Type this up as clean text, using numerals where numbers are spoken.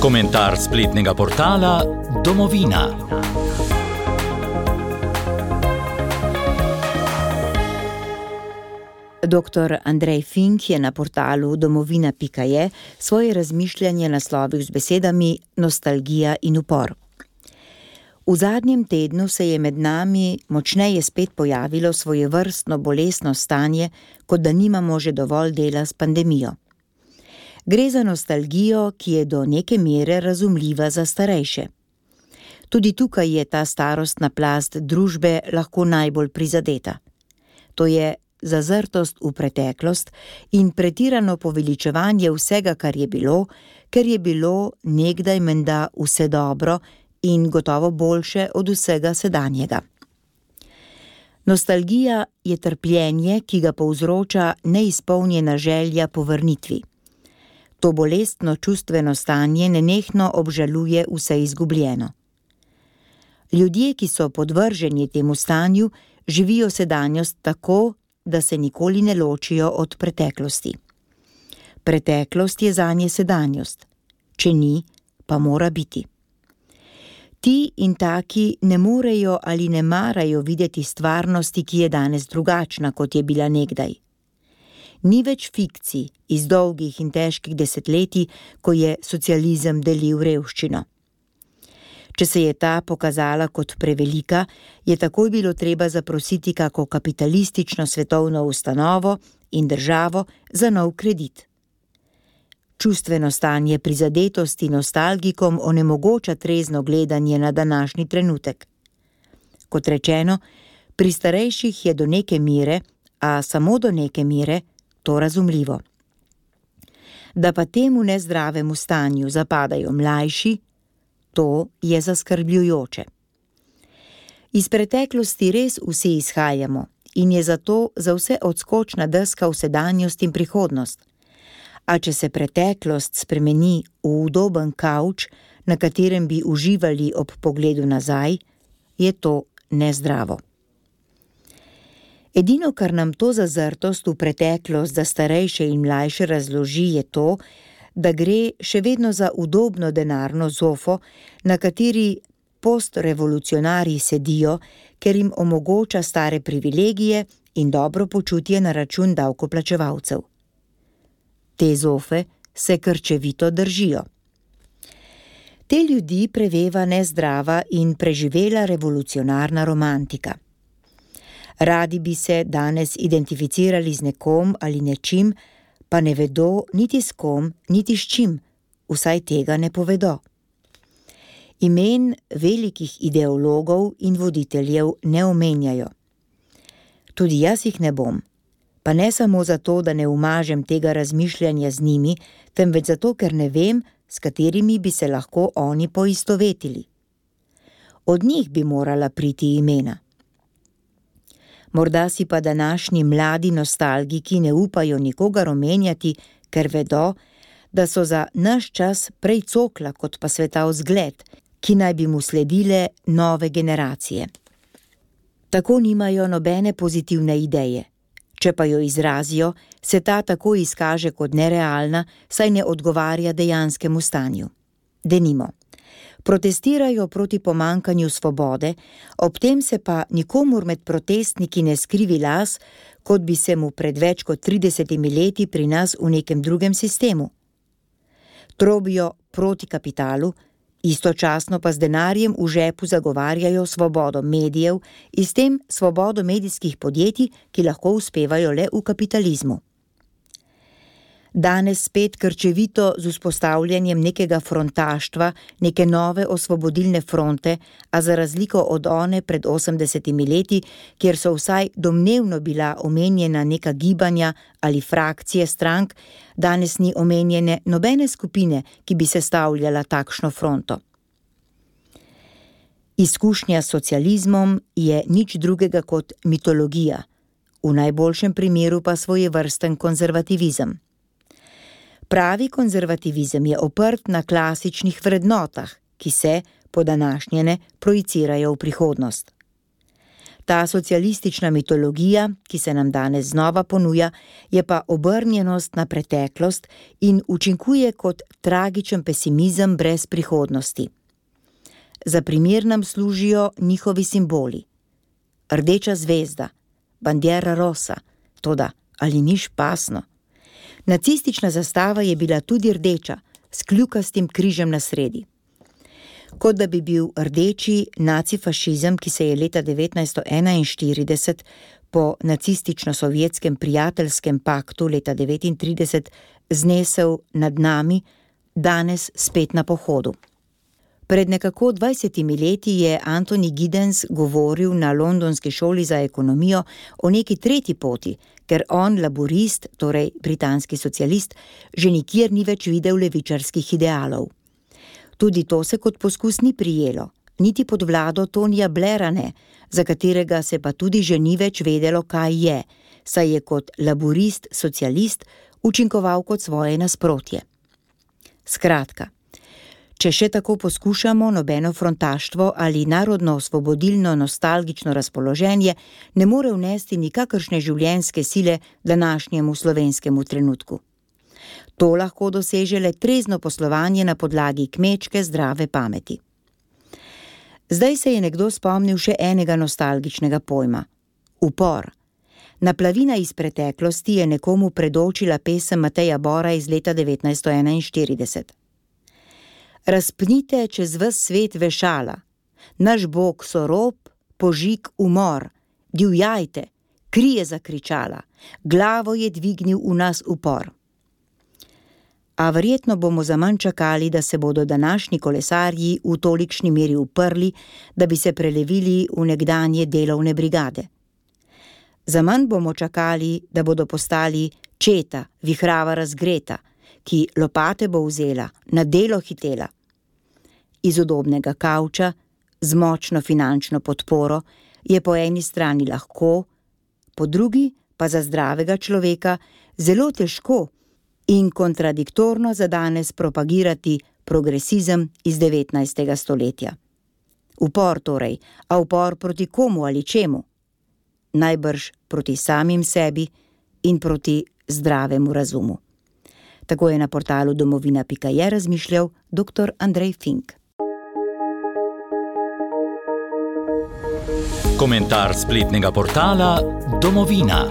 Komentar spletnega portala Domovina. Dr. Andrej Fink je na portalu domovina.je svoje razmišljanje naslovil z besedami nostalgija in upor. V zadnjem tednu se je med nami močneje spet pojavilo svojevrstno bolestno stanje, kot da nimamo že dovolj dela s pandemijo. Gre za nostalgijo, ki je do neke mere razumljiva za starejše. Tudi tukaj je ta starostna plast družbe lahko najbolj prizadeta. To je zazrtost v preteklost in pretirano poveličevanje vsega, kar je bilo, ker je bilo nekdaj menda vse dobro in gotovo boljše od vsega sedanjega. Nostalgija je trpljenje, ki ga povzroča neizpolnjena želja po vrnitvi. To bolestno čustveno stanje nenehno obžaluje vse izgubljeno. Ljudje, ki so podvrženi temu stanju, živijo sedanjost tako, da se nikoli ne ločijo od preteklosti. Preteklost je zanje sedanjost. Če ni, pa mora biti. Ti in taki ne morejo ali ne marajo videti stvarnosti, ki je danes drugačna, kot je bila nekdaj. Ni več fikcij iz dolgih in težkih desetletij, ko je socializem delil revščino. Če se je ta pokazala kot prevelika, je takoj bilo treba zaprositi kako kapitalistično svetovno ustanovo in državo za nov kredit. Čustveno stanje prizadetosti nostalgikom onemogoča trezno gledanje na današnji trenutek. Kot rečeno, pri starejših je do neke mere, a samo do neke mere, to razumljivo. Da pa temu nezdravemu stanju zapadajo mlajši, to je zaskrbljujoče. Iz preteklosti res vsi izhajamo in je zato za vse odskočna deska v sedanjost in prihodnost. A če se preteklost spremeni v udoben kavč, na katerem bi uživali ob pogledu nazaj, je to nezdravo. Edino, kar nam to zazrtost v preteklost za starejše in mlajše razloži, je to, da gre še vedno za udobno denarno zofo, na kateri postrevolucionarji sedijo, ker jim omogoča stare privilegije in dobro počutje na račun davkoplačevalcev. Te zofe se krčevito držijo. Te ljudi preveva nezdrava in preživela revolucionarna romantika. Radi bi se danes identificirali z nekom ali nečim, pa ne vedo niti s kom, niti s čim, vsaj tega ne povedo. Imen velikih ideologov in voditeljev ne omenjajo. Tudi jaz jih ne bom, pa ne samo zato, da ne umažem tega razmišljanja z njimi, temveč zato, ker ne vem, s katerimi bi se lahko oni poistovetili. Od njih bi morala priti imena. Morda si pa današnji mladi nostalgiki ne upajo nikogar omenjati, ker vedo, da so za naš čas prej cokla kot pa svetav zgled, ki naj bi mu sledile nove generacije. Tako nimajo nobene pozitivne ideje. Če pa jo izrazijo, se ta tako izkaže kot nerealna, saj ne odgovarja dejanskemu stanju. Denimo, protestirajo proti pomanjkanju svobode, ob tem se pa nikomur med protestniki ne skrivi las, kot bi se mu pred več kot 30 leti pri nas v nekem drugem sistemu. Trobijo proti kapitalu, istočasno pa z denarjem v žepu zagovarjajo svobodo medijev in s tem svobodo medijskih podjetij, ki lahko uspevajo le v kapitalizmu. Danes spet krčevito z vzpostavljanjem nekega frontaštva, neke nove osvobodilne fronte, a za razliko od one pred 80 leti, kjer so vsaj domnevno bila omenjena neka gibanja ali frakcije strank, danes ni omenjene nobene skupine, ki bi sestavljala takšno fronto. Izkušnja s socializmom je nič drugega kot mitologija, v najboljšem primeru pa svojevrsten konzervativizem. Pravi konzervativizem je oprt na klasičnih vrednotah, ki se, po današnjene, projicirajo v prihodnost. Ta socialistična mitologija, ki se nam danes znova ponuja, je pa obrnjenost na preteklost in učinkuje kot tragičen pesimizem brez prihodnosti. Za primer nam služijo njihovi simboli. Rdeča zvezda, bandiera rosa, toda ali ni špasno? Nacistična zastava je bila tudi rdeča, s kljukastim križem na sredi. Kot da bi bil rdeči nacifašizem, ki se je leta 1941 po nacistično-sovjetskem prijateljskem paktu leta 1939 znesel nad nami, danes spet na pohodu. Pred nekako 20 leti je Anthony Giddens govoril na londonski šoli za ekonomijo o neki tretji poti, ker on, laborist, torej britanski socialist, že nikjer ni več videl levičarskih idealov. Tudi to se kot poskus ni prijelo, niti pod vlado Tonija Blaira ne, za katerega se pa tudi že ni več vedelo, kaj je, saj je kot laborist socialist učinkoval kot svoje nasprotje. Skratka, če še tako poskušamo, nobeno frontaštvo ali narodno-osvobodilno nostalgično razpoloženje ne more vnesti nikakršne življenjske sile današnjemu slovenskemu trenutku. To lahko doseže le trezno poslovanje na podlagi kmečke zdrave pameti. Zdaj se je nekdo spomnil še enega nostalgičnega pojma – upor. Naplavina iz preteklosti je nekomu predočila pesem Mateja Bora iz leta 1941. Razpnite čez ves svet vešala, naš Bog so rob, požig, umor, divjajte, kri je zakričala, glavo je dvignil v nas upor. A verjetno bomo zaman čakali, da se bodo današnji kolesarji v tolikšni meri uprli, da bi se prelevili v nekdanje delovne brigade. Zaman bomo čakali, da bodo postali četa, vihrava razgreta, ki lopate bo vzela, na delo hitela. Iz udobnega kavča, z močno finančno podporo, je po eni strani lahko, po drugi pa za zdravega človeka zelo težko in kontradiktorno za danes propagirati progresizem iz 19. stoletja. Upor torej, a upor proti komu ali čemu? Najbrž proti samim sebi in proti zdravemu razumu. Tako je na portalu domovina.je razmišljal dr. Andrej Fink. Komentar spletnega portala Domovina.